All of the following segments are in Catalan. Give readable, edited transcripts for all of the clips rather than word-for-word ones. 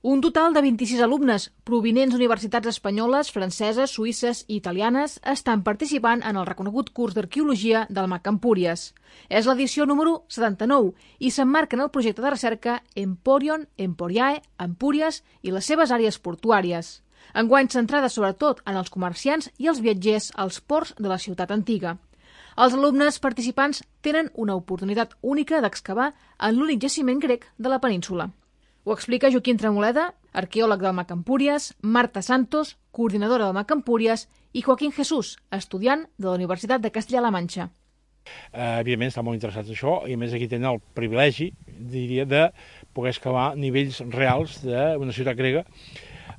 Un total de 26 alumnes provinents d'universitats espanyoles, franceses, suïsses i italianes estan participant en el reconegut curs d'arqueologia del MAC Empúries. És l'edició número 79 i s'emmarca en el projecte de recerca Emporion, Emporiae, Empúries i les seves àrees portuàries. Enguany centrada sobretot en els comerciants i els viatgers als ports de la ciutat antiga. Els alumnes participants tenen una oportunitat única d'excavar en l'únic jaciment grec de la península. Ho explica Joaquim Tremoleda, arqueòleg del MAC Empúries, Marta Santos, coordinadora del MAC Empúries, i Joaquín Jesús, estudiant de la Universitat de Castilla-La Manxa. Evidentment estan molt interessats en això i a més aquí tenen el privilegi, diria, de poder excavar nivells reals d'una ciutat grega,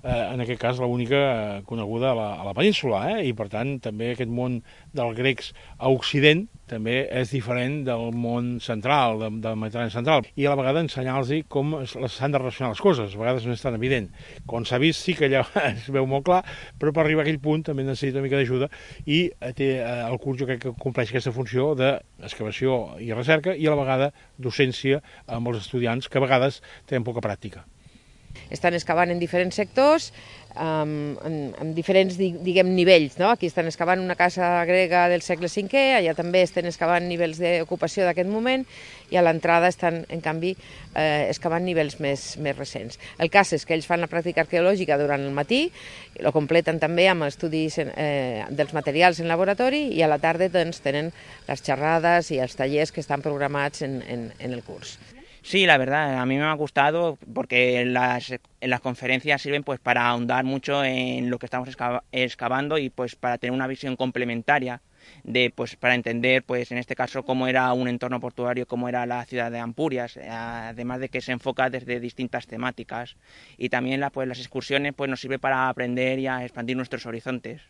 en aquest cas l'única coneguda a la península, i per tant també aquest món dels grecs a Occident també és diferent del món central, del Mediterrani central, i a la vegada ensenyar-los com s'han de relacionar les coses, a vegades no és tan evident. Com s'ha vist sí que allà es veu molt clar, però per arribar a aquell punt també necessita una mica d'ajuda i el curs jo crec que compleix aquesta funció d'excavació i recerca i a la vegada docència amb els estudiants que a vegades tenen poca pràctica. Estan excavant en diferents sectors, en diferents nivells. Aquí estan excavant una casa grega del segle V, allà també estan excavant nivells d'ocupació d'aquest moment i a l'entrada estan, en canvi, excavant nivells més recents. El cas és que ells fan la pràctica arqueològica durant el matí, lo completen també amb estudis dels materials en laboratori i a la tarda tenen les xerrades i els tallers que estan programats en el curs. Sí, la verdad, a mí me ha gustado porque en las conferencias sirven pues para ahondar mucho en lo que estamos excavando y pues para tener una visión complementaria para entender pues en este caso cómo era un entorno portuario, cómo era la ciudad de Empúries, además de que se enfoca desde distintas temáticas y también las excursiones pues nos sirve para aprender y a expandir nuestros horizontes.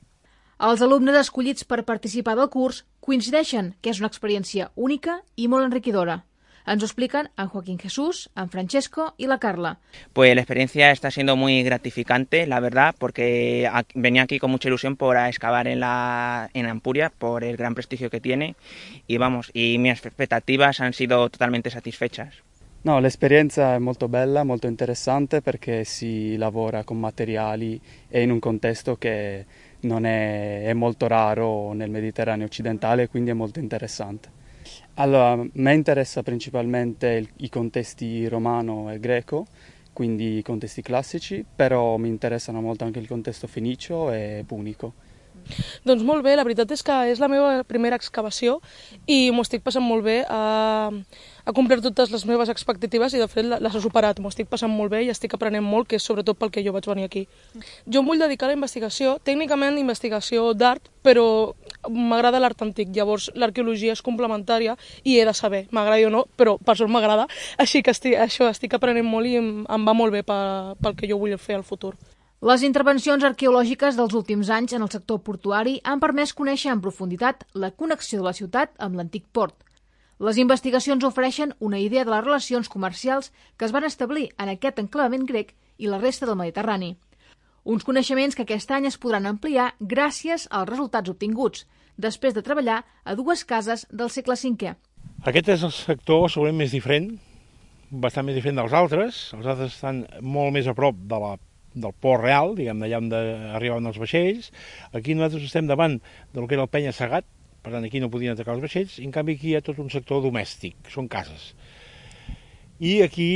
Els alumnes escollits per participar del curs coincideixen que és una experiència única i molt enriquidora. Ens ho explican en Joaquín Jesús, en Francesco y la Carla. Pues la experiencia está siendo muy gratificante, la verdad, porque venía aquí con mucha ilusión por excavar en Empúries, por el gran prestigio que tiene, y mis expectativas han sido totalmente satisfechas. No, l'esperienza è molto bella, molto interessante perché si lavora con materiali e in un contesto che non è molto raro nel Mediterraneo occidentale, quindi è molto interessante. Allora, a me interessa principalmente i contesti romano e greco, quindi i contesti classici, però mi interessano molto anche il contesto fenicio e punico. Doncs molt bé, la veritat és que és la meva primera excavació i m'ho estic passant molt bé, ha complert totes les meves expectatives i de fet les ha superat, m'ho estic passant molt bé i estic aprenent molt, que és sobretot pel que jo vaig venir aquí. Jo em vull dedicar a la investigació, tècnicament investigació d'art, però m'agrada l'art antic, llavors l'arqueologia és complementària i he de saber, m'agradi o no, però per sort m'agrada, així que estic aprenent molt i em va molt bé pel que jo vull fer al futur. Les intervencions arqueològiques dels últims anys en el sector portuari han permès conèixer en profunditat la connexió de la ciutat amb l'antic port. Les investigacions ofereixen una idea de les relacions comercials que es van establir en aquest enclavament grec i la resta del Mediterrani. Uns coneixements que aquest any es podran ampliar gràcies als resultats obtinguts, després de treballar a dues cases del segle V. Aquest és el sector segurament més diferent, bastant més diferent dels altres. Els altres estan molt més a prop del port real, diguem, d'allà on arribaven els vaixells. Aquí nosaltres estem davant del que era el penya-segat, per tant aquí no podien atacar els vaixells, i en canvi aquí hi ha tot un sector domèstic, són cases. I aquí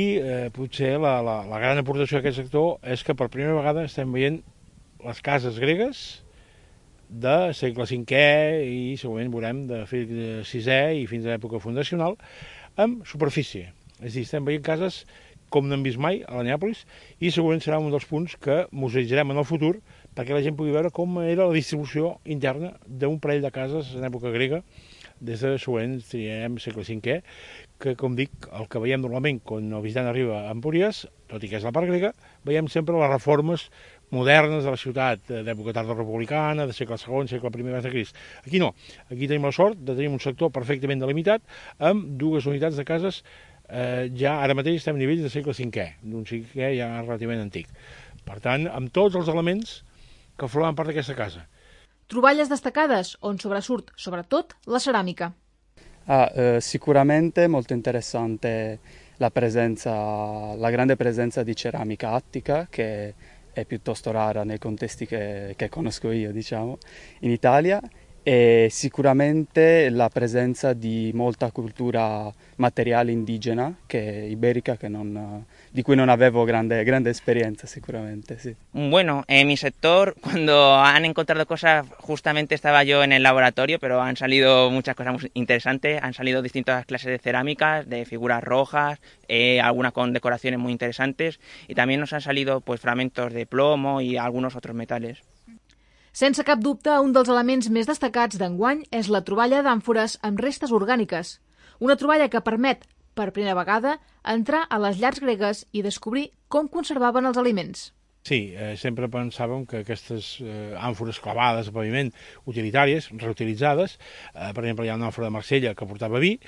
potser la gran aportació d'aquest sector és que per primera vegada estem veient les cases gregues de segle V i segurament veurem de segle VI i fins a l'època fundacional amb superfície. És a dir, estem veient cases com no hem vist mai a la Neàpolis, i segurament serà un dels punts que museïtzarem en el futur perquè la gent pugui veure com era la distribució interna d'un parell de cases en època grega, des de segurament triarem segle V, que, com dic, el que veiem normalment quan el visitant arriba a Empúries, tot i que és la part grega, veiem sempre les reformes modernes de la ciutat, d'època tardorepublicana, de segle II, segle I abans de Crist. Aquí no, aquí tenim la sort de tenir un sector perfectament delimitat amb dues unitats de cases. Ja ara mateix estem a nivells de segle V, d'un cinquè ja relativament antic. Per tant, amb tots els elements que formaven part d'aquesta casa. Troballes destacades on sobresurt, sobretot, la ceràmica. Sicuramente molto interessante la grande presenza di ceramica attica, che è piuttosto rara nei contesti che conosco io, diciamo, in Italia, e sicuramente la presenza di molta cultura materiale indigena iberica di cui non avevo grande experiencia, sicuramente, sí. Bueno, en mi sector, cuando han encontrado cosas, justamente estaba yo en el laboratorio, pero han salido muchas cosas muy interesantes, han salido distintas clases de cerámicas, de figuras rojas, algunas con decoraciones muy interesantes, y también nos han salido pues fragmentos de plomo y algunos otros metales. Sense cap dubte, un dels elements més destacats d'enguany és la troballa d'àmfores amb restes orgàniques. Una troballa que permet, per primera vegada, entrar a les llars gregues i descobrir com conservaven els aliments. Sí, sempre pensàvem que aquestes àmfores clavades a paviment, utilitàries, reutilitzades, per exemple, hi ha una àmfora de Marsella que portava vi,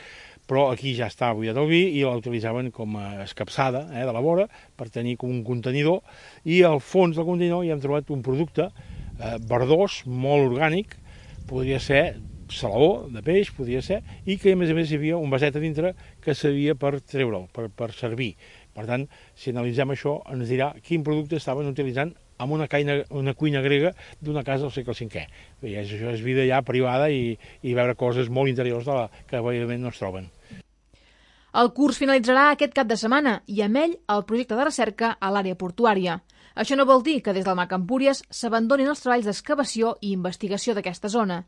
però aquí ja està buidat el vi i la utilitzaven com a escapçada de la vora per tenir com un contenidor, i al fons del contenidor hi hem trobat un producte verdós, molt orgànic, podria ser salaó de peix, podria ser, i que a més hi havia un vaset a dintre que servia per treure'l, per servir. Per tant, si analitzem això, ens dirà quin producte estaven utilitzant en una cuina grega d'una casa del segle V. Això és vida ja privada i veure coses molt interiors que evidentment no es troben. El curs finalitzarà aquest cap de setmana i amb ell el projecte de recerca a l'àrea portuària. Això no vol dir que des del MAC Empúries s'abandonin els treballs d'excavació i investigació d'aquesta zona,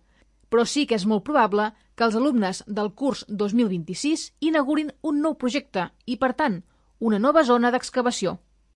però sí que és molt probable que els alumnes del curs 2026 inaugurin un nou projecte i, per tant, una nova zona d'excavació.